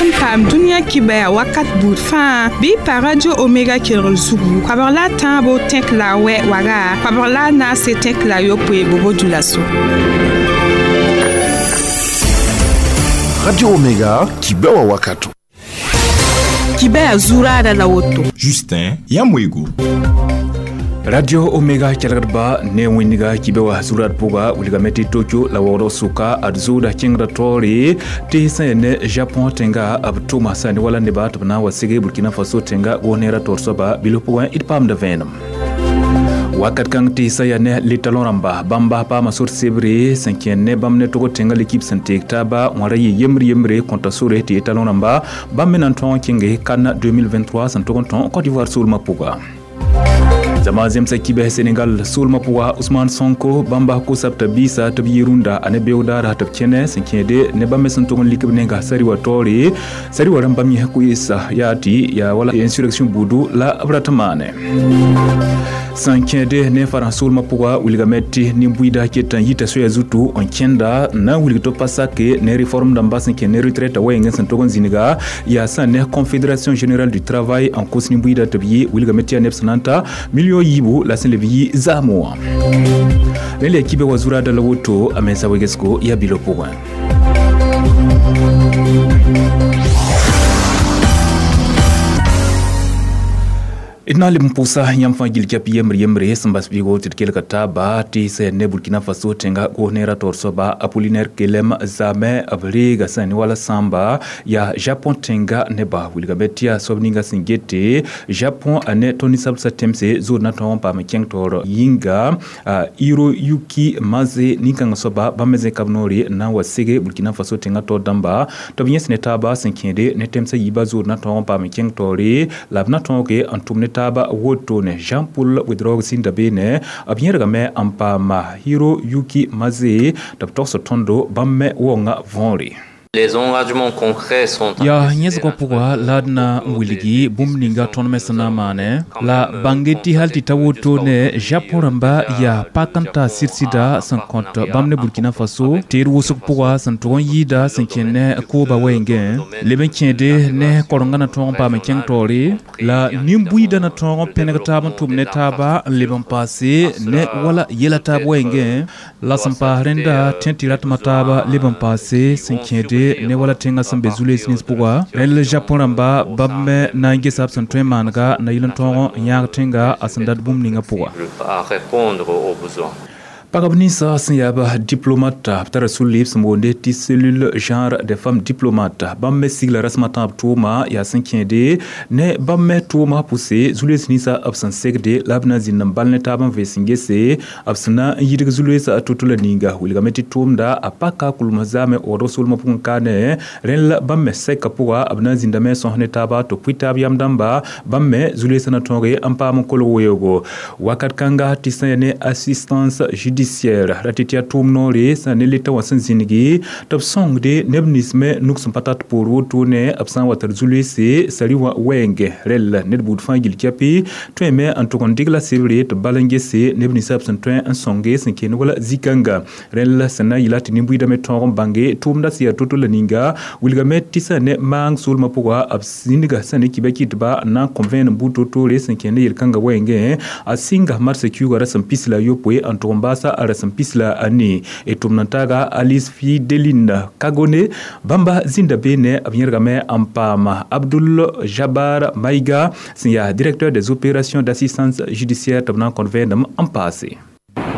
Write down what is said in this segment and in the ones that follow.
dat n paam dũniyã kibɛa wakat buud fãa bɩ pa Radio Omega kelgr zugu koabg la a tãabo tẽk la a wɛ waga koabg la a naase tẽk la a yopoe bobo dulaso. Radio Omega, kibɛwa wakato. Kibɛa zuraada la woto. Justin Yamwego. Radio Omega kelgdba ne wẽndiga kibe wa zurat pʋga wilgame tɩ Tokyo la waoodg sʋka ad zʋʋda kẽngda taoore tɩ sẽn yaa ne Japon tẽnga b tʋma sã ne wala neba tɩ b na n wa sege Burkina Faso tẽnga gos-neerã taoor soaba bilf pʋgẽ d paamda vẽenem. Wakat kãng tɩ sã yaa ne litalõ rãmba bãmba paama sor sebre sẽn kẽer ne bãmb ne tog tẽngã lekip sẽn teeg taaba wãra yɩ yembre yembre kõta sore tɩ talõ rãmba bãmb me na n tõog n kẽnge CAN 2023 sẽn tog n tõe Côte d'Ivoire soolmã pʋga. Zama zemsa kibɛ Senegal soolmã pʋga Ousmane Sonko bãmba kosab t'a biisa tɩ b yɩ rũndã a ne beoogdaara tɩ b kẽne sẽn kẽede ne bãmb me sẽn tog n lik b nenga sari wa taoore sari wa rãmb bãmb yẽ koeesa yaa tɩ yaa wala insurrection buudu la b rat n maane. Sẽn kẽede ne farãs soolmã pʋga wilgame tɩ nin-buiida ket n yita soaya zutu n kẽnda n na n wilg tɩ pa sake ne réforme dãmba sẽn kẽ ne retraite wɛɛngẽ sẽn tog n zĩniga yaa sã ne Confédération générale du travail n kos nin-buiida tɩ b yɩ wilgame tɩ yaa neb sẽn na n ta million yiibu la sẽn leb yɩ zaamo wã. Rẽnd la kibe wa zuraada la woto a mensa wegesgo yaa bilo pʋgẽ. D na n leb n pʋʋsa yãmb fãa gil kɛp yembre yembre sẽn bas bɩgo tɩ d kelga taaba tɩ sẽn ne Burkina Faso tẽnga gos-neerã taoor soaba Apollinaire Kelem Zame b reega sẽn ne wala sãamba yaa Japon tẽnga neba wilgame tɩ yaa soab ninga sẽn gete Japon a ne tõnd ninsabsã tẽmse zood na tõog n paam n kẽng taoor yĩnga Hiroyuki Maze nin-kãngã soaba bãmb me zẽka b noore n na n wa sege Burkina Faso tẽngã taoor dãmba tɩ b yẽs ne taaba sẽn kẽede ne tẽmsã yiibã zood na tõog n paam n kẽng taoore la b na tõoge n tʋm ne taaba woto ne Jean-Paul Ouedraogo sẽn da beene b yẽrgame n paama Hiroyuki Maze tɩ b togs tõndo bãmb me wonga võore. Les engagements concrets sont Ya yẽsgã pʋga la d na n wilgi bũmb ninga tõnd me sẽn na n maane la bãnge tɩ hal tɩ ta woto ne Japon rãmba yaa pak n ta sɩd-sɩda sẽn kõt bãmb ne Burkina Faso tɩ d wʋsg pʋga sẽn tʋg n yɩɩda sẽn kẽ ne kooba wɛɛngẽ leb n kẽede ne korengã na tõog n paam n kẽng taoore la nin-buiidã na tõog n pẽneg taab n tʋm ne taaba n leb n paase ne wala yɛla taab wɛɛngẽ la sẽn paas rẽnda tẽ tɩ ratmã taaba leb n paase sẽn kẽede ne wala tẽngã sẽn be zu-loees nins pʋga rẽnd la Japon rãmba bãmb me na n gesa b sẽn tõe n maanega na yɩl n tõog n yãag tẽnga a sẽn dat bũmb ninga pʋga. À répondre aux besoins. Pagb ninsã sẽn yaa ba diplomate b tara sũ-lɩɩb sẽn boonde tɩ cellule genre des femmes diplomates bãmb me sigla rasmã tãab tʋʋma yaa sẽn kẽede ne bãmb me tʋʋma pʋse zu-loees ninsã b sẽn segde la b na n zĩnd n bal ne taab n vees n gese b sẽn na n yidg zu-loeesã to-to la ninga wilgame tɩ tʋʋmda a paka kulmã zaame waoodg soolmã pʋgẽ kaane rẽnd la bãmb me sɛka pʋga b na n zĩndame sõs ne taaba tɩ pʋɩ taab yam dãmba bãmb me zu-loeesã na tõoge n paam n kolg weoogo wakat kãnga tɩ sẽn yaa ne assistance judiciaire ra tɩ tɩ yaa tʋʋm noore sã ne leta wã sẽn zĩnigi tɩ b sõngde neb nins me nug sẽn pa tat poor wotone b sã n wa tar zu-loeese sari wã wɛɛngẽ rɛl ned buud fãa gil kɛpɩ tõeme n tʋg n dɩgla sebre tɩ bal n gese neb ninsã b sẽn tõe n sõnge sẽn keen wala zĩ-kãnga rẽl sẽn na n yɩla tɩ nin-buiidã me tõog n bãnge tʋʋmda sẽn yaa to-to la ninga wilgame tɩ sã ne maang soolmã pʋga b zĩnga sã ne kibã kɩtba n na n kõ vẽenem buud to-toore sẽn kẽnd yel-kãngã wɛɛngẽ a sɩnga marsã kiuugã rasem pis la a yopoe n tʋg n baasa a rasem pis la a nii d tʋm n taaga Alice Fideline Kagone bãmba zĩnda beene b yẽrgame n paama Abdoul Jabar Maïga sẽn yaa directeur des opérations d'assistance judiciaire tɩ b na n kõt vẽenem n paase.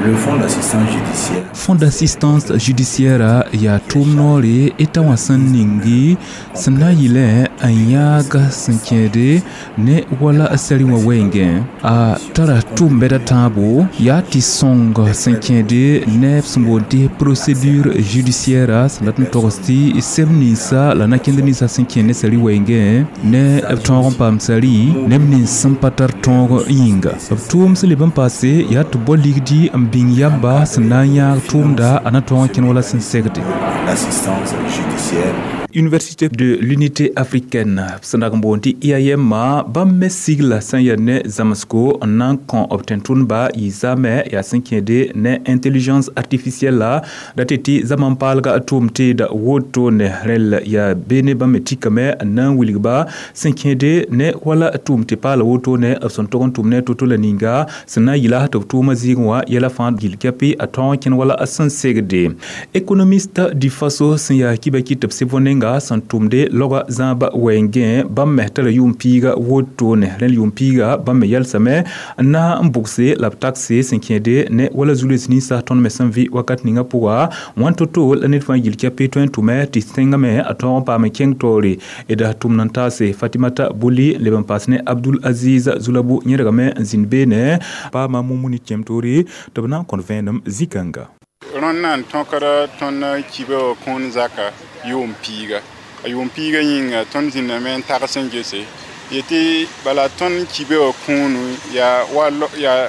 Le fonds d'assistance judiciaire. Fonds d'assistance judiciaire yaa tʋʋm noore y ta wã sẽn ningi sẽn na n yɩlẽ n yãag sẽn kẽede ne wala sari wã wɛɛngẽ a tara tʋʋm bɛda tãabo yaa tɩ sõng sẽn kẽede neb sẽn boond tɩ procédure judiciaire sẽn dat n togs tɩ seb ninsa la na-kẽnd ninsã sẽn kẽ ne sari wɛɛngẽ ne b tõog n paam sari neb nins sẽn pa tar tõog yĩnga b tʋʋm sẽn leb n paase yaa tɩ bao ligdi n bĩng yamba sẽn na n yãag tʋʋmda a na tõog n kẽn wala sẽn segde. L'assistance judiciaire. Université de l'Unité africaine sẽn dag n boond tɩ IAM bãmb me sigla sẽn yaa ne zãmsgo n na n kõ b tẽn-tʋndba yɩ zaamɛ yaa sẽn kẽede ne intelligence artificielle la da tɩ tɩ zaman paalga tʋʋm teeda wotone rẽl yaa beene bãmb me tikame n na n wilgba sẽn kẽede ne wala tʋʋm tɩ paala wotone b sẽn tog n tʋm ne to-to la ninga sẽn na n yɩla tɩ b tʋʋmã zɩɩgẽ wã yɛla fãa gil kɛpɩ a tõog n kẽn wala a sẽn segde. Économiste du Faso sẽn yaa kiba kɩ tɩ b sɩb nenga sẽn tʋmde laoga zãaba wɛɛngẽ bãmb me tara yʋʋm piiga wotone rẽnd yʋʋm piiga bãmb me yɛlsame n na n bʋgse la b takse sẽn kẽede ne wala zu-loees ninsã tõnd me sẽn vɩ wakat ninga pʋga wãn to-to la ned fãa yil kɛpɩ tõe n tʋme tɩ tẽngame a tõog n paam n kẽng taoore d tʋmd n taase Fatimata Boli leb n paas ne Abdul Aziz Zulabu yẽrgame n zĩnd beene paama Mumuni kẽem toore tɩ b na n kõt vẽenem zĩ-kãnga. Rõnd na n tõkda tõnd kiba wã kũun zaka yʋʋm piiga. A yʋʋm piiga yĩnga tõnd zĩndame n tags n gese yetɩ bala tõnd kiba wã kũunu yaa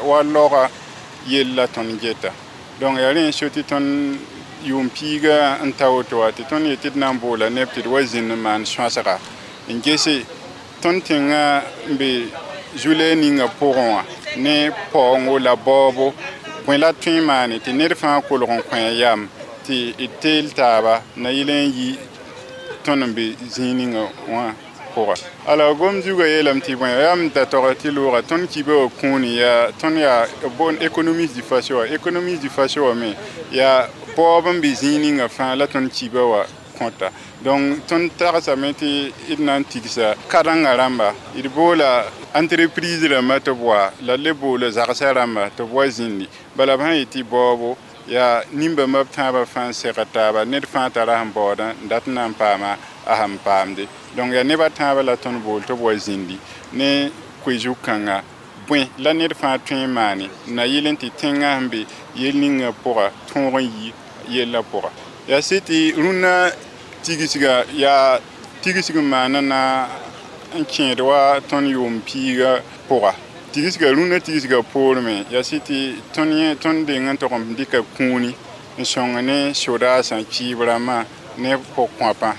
wa laoga yell la tõnd geta. Donc yaa rẽ n so tɩ tõnd yʋʋm piiga n ta woto wã tɩ tõnd yetɩ d na n boola neb tɩ d wa zĩnd n maan sõasga n gese tõnd tẽngã n be zu-lɛɛg ninga pʋgẽ wã ne paoongo la baoobo bõe la tõe n maane tɩ ned fãa kolg n kõ a yam tɩ d teel taaba na yɩl n yi tõnd n be zĩig ninga wã pʋga. Alors gom zugã yeelame tɩ bõe yaa m da tog tɩ looga tõnd kiba wã kũuni yaa tõnd yaa bon économiste du Faso wã économiste du Faso wã me yaa baoob n be zĩig ninga fãa la tõnd kiba wã kõta. Donc tõnd tagsame tɩ d na n tigsa karen-gã rãmba d boola entreprise rãmba tɩ b wa la le boola zagsã rãmba tɩ b wa zĩndi bala b sã n yetɩ baoobo yaa nin-bãmba b tãabã fãa n segd taaba ned fãa tara sẽn baoodã n dat n na n paama a sẽn paamde. Donc yaa neb a tãabã la tõnd bool tɩ b wa zĩndi ne koe-zug-kãnga bõe la ned fãa tõe n maane na yɩl n tɩ tẽngã sẽn be yel ninga pʋga tõog n yi yellã pʋga. Yaa sɩ tɩ rũnnã tigsga yaa tigsg n maana na n kẽed wa tõnd yʋʋm piiga pʋga. Tigsga rũnnã tigsga poor me yaa sɩ tɩ tõnd deng n tog n dɩka kũuni n sõng ne sodaasã kiib rãmbã ne pʋg-kõapã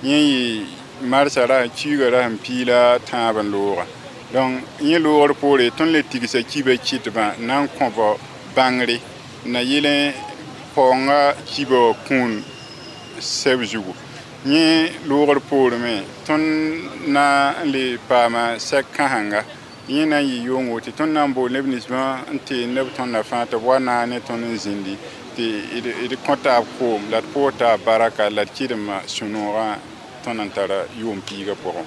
yẽ yɩ marsã ra kiiga ra sẽn piila tãab n looga. Donc yẽ loogr poore tõnd le tigsa kiba kɩtbã na n kõb bãngre na yɩl n paoongã kiba wã kũun sɛb zugu. Yẽ loogr poore me tõnd na n le paama sɛk kãsenga yẽ na n yɩ yʋngo tɩ tõnd na n bool neb ninsbã n tee neb tõndã fãa tɩ b wa naag ne tõnd n zĩndi tɩ d kõ taab koom la d pʋʋs taab baraka la d kɩdemã sũ-noogã tõnd n tara yʋʋm piigã pʋgẽ.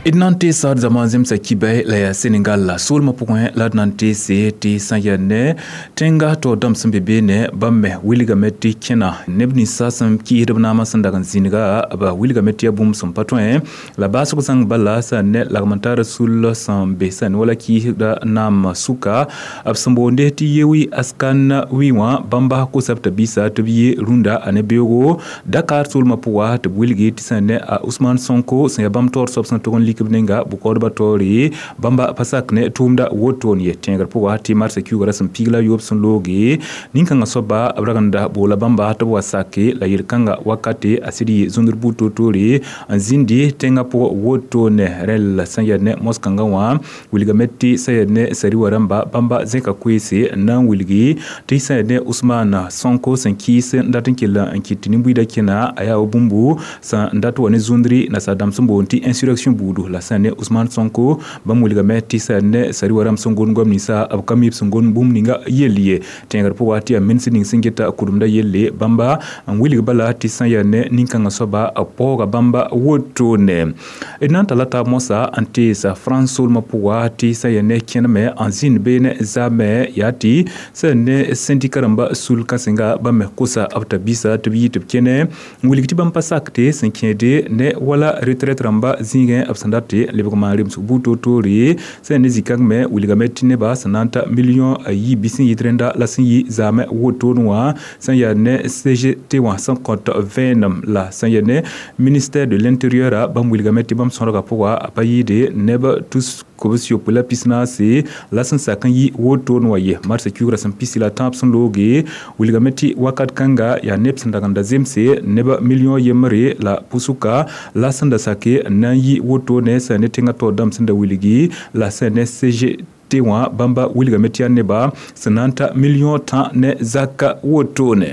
D na n teesa d zama zemsa kibɛ la yaa Senegal la soolmã pʋgẽ la d na n teese tɩ sã yaa ne tẽnga taoor dãmb sẽn be beene bãmb me wilgame tɩ kẽna neb ninsã sẽn kɩɩsd b naamã sẽn dag n zĩnga b wilgame tɩ yaa bũmb sẽn pa tõe la baasg zãng bala sã ne lagm-n-taar sul sẽn be sã ne wala kɩɩsda naam sʋka b sẽn boonde tɩ Yewi Askan Wi wã bãmba kosa b t'a biisa tɩ b yɩ rũndã a ne beoogo Dakar soolmã pʋga tɩ b wilgi tɩ sã ne a Ousmane Sonko sẽn yaa bãmb taoor soab sẽn tog n lik b nenga bʋkaoodbã taoore bãmba pa sak ne tʋʋmda wotone ye tẽegr pʋga tɩ marsã kiuuga ra sẽn piig la yoob sẽn looge nin-kãngã soaba b ragenda boola bãmba tɩ b wa sake la yel-kãnga wakate a sɩd yɩ zũndr buud toor-toore n zĩndi tẽngã pʋgã wotone rẽl sẽn yaa ne mos-kãngã wã wilgame tɩ sã yaa ne sari wa rãmba bãmba zẽka koeese n na n wilgi tɩ sã yaa ne Ousmane Sonko sẽn kɩɩs n dat n kell n kɩt tɩ nin-buiidã kẽna a yaa wa bũmbu sẽn dat wa ne zũndri nasaar dãmb sẽn boond tɩ insurrection buudu la sã ne Ousmane Sonko bãmb wilgame tɩ sã ne sari wa rãmb sẽn gom goam ninsã b ka mi b sẽn gom bũmb ninga yell ye tẽegr pʋga tɩ yaa ministr ning sẽn geta kʋdemda yelle bãmba n wilg bala tɩ sã yaa ne nin-kãngã soaba b paooga bãmba wotone d na n tala taab mosã n teesa France soolmã pʋga tɩ sã yaa ne kẽneme n zĩnd beene zaamɛ yaa tɩ sã ne sẽndika rãmba sul kãsenga bãmb me kosa b t'a biisa tɩ b yɩ tɩ b kẽne n wilg tɩ bãmb pa sakte sẽn kẽede ne wala retraite rãmba zĩigẽ b sẽn dat lebg maan remsg buud toor-toore sẽn ne zĩ-kãng me wilgame tɩ nebã sẽn na n ta million ayi bɩ sẽn yɩt rẽnda la sẽn yɩ zaamẽ wotone wã sẽn yaa ne CGT wã sẽn kõt vẽenem la sẽn yaa ne ministère de l'intérieur bãmb wilgame tɩ bãmb sõdgã pʋga a pa yɩɩde neb tus kobs yopoe la pis naase la sẽn sak n yɩ wotone wã ye marsã kiugrã sẽn pisi la tãab sẽn looge wilgame tɩ wakat kãnga yaa neb sẽn dag n da zemse neb million yembre la pusuka la sẽn da sake na n yɩ wotone sẽn ne tẽngã taoor dãmb sẽn da wilgi la sẽn ne CGT wã bãmba wilgame tɩ yaa neba sẽn na n ta million tã ne zaka wotone.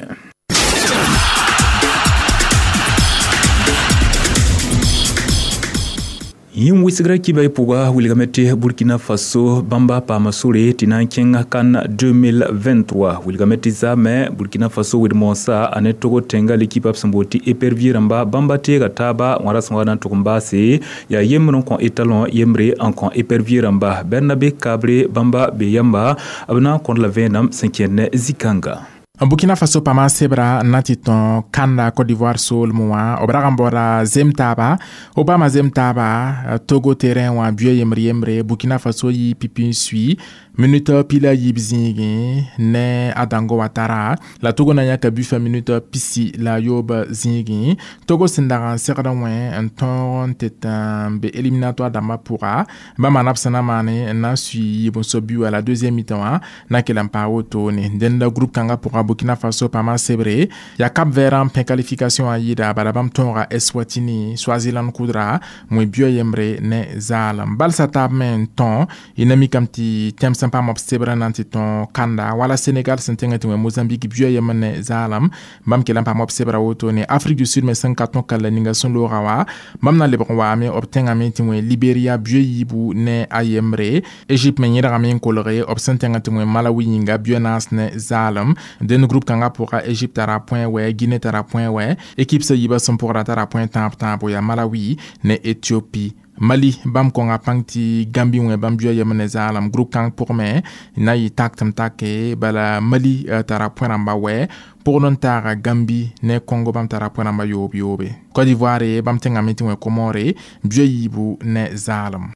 Yĩm wɩsgrã kiba y pʋga wilgame tɩ Burkina Faso bãmba paama sore tɩ na n kẽng CAN 2023 wilgame tɩ zaamẽ Burkina Faso wed-moosã a ne Togo tẽnga l'équipe b sẽn boond tɩ épervier rãmba bãmba teega taaba wã ra sẽn wa na n tʋg n baase yaa yembr n kõ étalon yembre n kõ épervier rãmba Bernabe Kabre bãmba be yamba b na n kõd la vẽenem sẽn kẽnd ne zĩ-kãnga. Burkina Faso paama sebra n na tɩ tõ kanda Côte d'Ivoire soolmẽ wã b rag n baooda zem taaba Obama zem taaba Togo terrain wã buɛ yembre yembre Burkina Faso yɩ pipi n sui minute pila yiib zĩigẽ ne a Dango Ouattara la Togo na yãka bufa minute pisi la yoob zĩigẽ Togo sẽn dag n segd wẽ n tõog n tɩ n be éliminatoire dãmbã pʋga bãmba na b sẽn na maane n na n sui yiib n sob bi wã la deuxième mi-temps wã na kell n paa wotone dẽnda groupe kãngã pʋga Burkina Faso paama sebre ya Cap Vert n pẽ qualification wã yɩɩda bala bãmb tõoga Eswatini Swaziland kʋdra wẽ buɛ yembre ne zaalem balsa taab me n tõ y na mikame tɩ tẽm sẽn paam b sebrã na n tɩ tõ kanda wala Sénégal sẽn tẽngã tɩ wẽ Mozambique buɛ yembr ne zaalem bãmb kell n paam b sebra wotone Afrique du Sud me sẽn ka tõ kalla ninga sẽn looga wã bãmb na lebg n waame b tẽngame tɩ wẽ Libéria buɛ yiibu ne a yembre Égypte me yẽdgame n kolge b sẽn tẽngã tɩ wẽ Malawi yĩnga buɛ naas ne zaalem dẽnd groupe kãngã pʋga Égypte tara point wɛ Guinée tara point wɛ équipe sã yiibã sẽn pʋgra tara point tãab tãabo yaa Malawi ne Éthiopie Mali bãmb kõnga pãng tɩ Gambie wẽ bãmb buɛ yembr ne zaalem groupe kãng pʋgme na yɩ tak tɩ m take bala Mali tara point rãmba wɛ pʋgd n taaga Gambie ne Congo bãmb tara point rãmba yoob yoobe Côte d'Ivoire bãmb tẽngame tɩ wẽ Comore buɛ yiibu ne zaalem.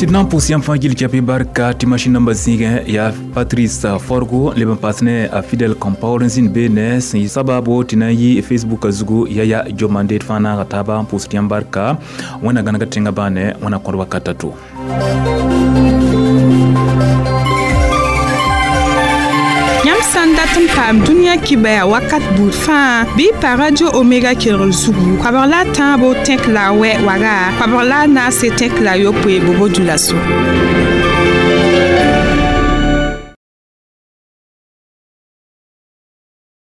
Tɩ d na n pʋʋs yãmb fãa gil kɛpɩ barka tɩ masin namba zĩigẽ yaa Patrice Forgo leb n paas ne a Fidel Compaoré n zĩnd beene sẽn yɩ sabaabo tɩ na n yɩ Facebook zugu yaya Diomande d fãa naaga taaba n pʋʋsd yãmb barka wẽnna gãnega tẽngã bãane wẽna kõd wakat a to. Yãmb sã n dat n paam dũniyã kibaya wakat buud fãa bɩ y pa Radio Omega kelgr zugu koabg la a tãabo tẽk la a wɛ waga koabg la a naase tẽk la a yopoe bobo dulaso.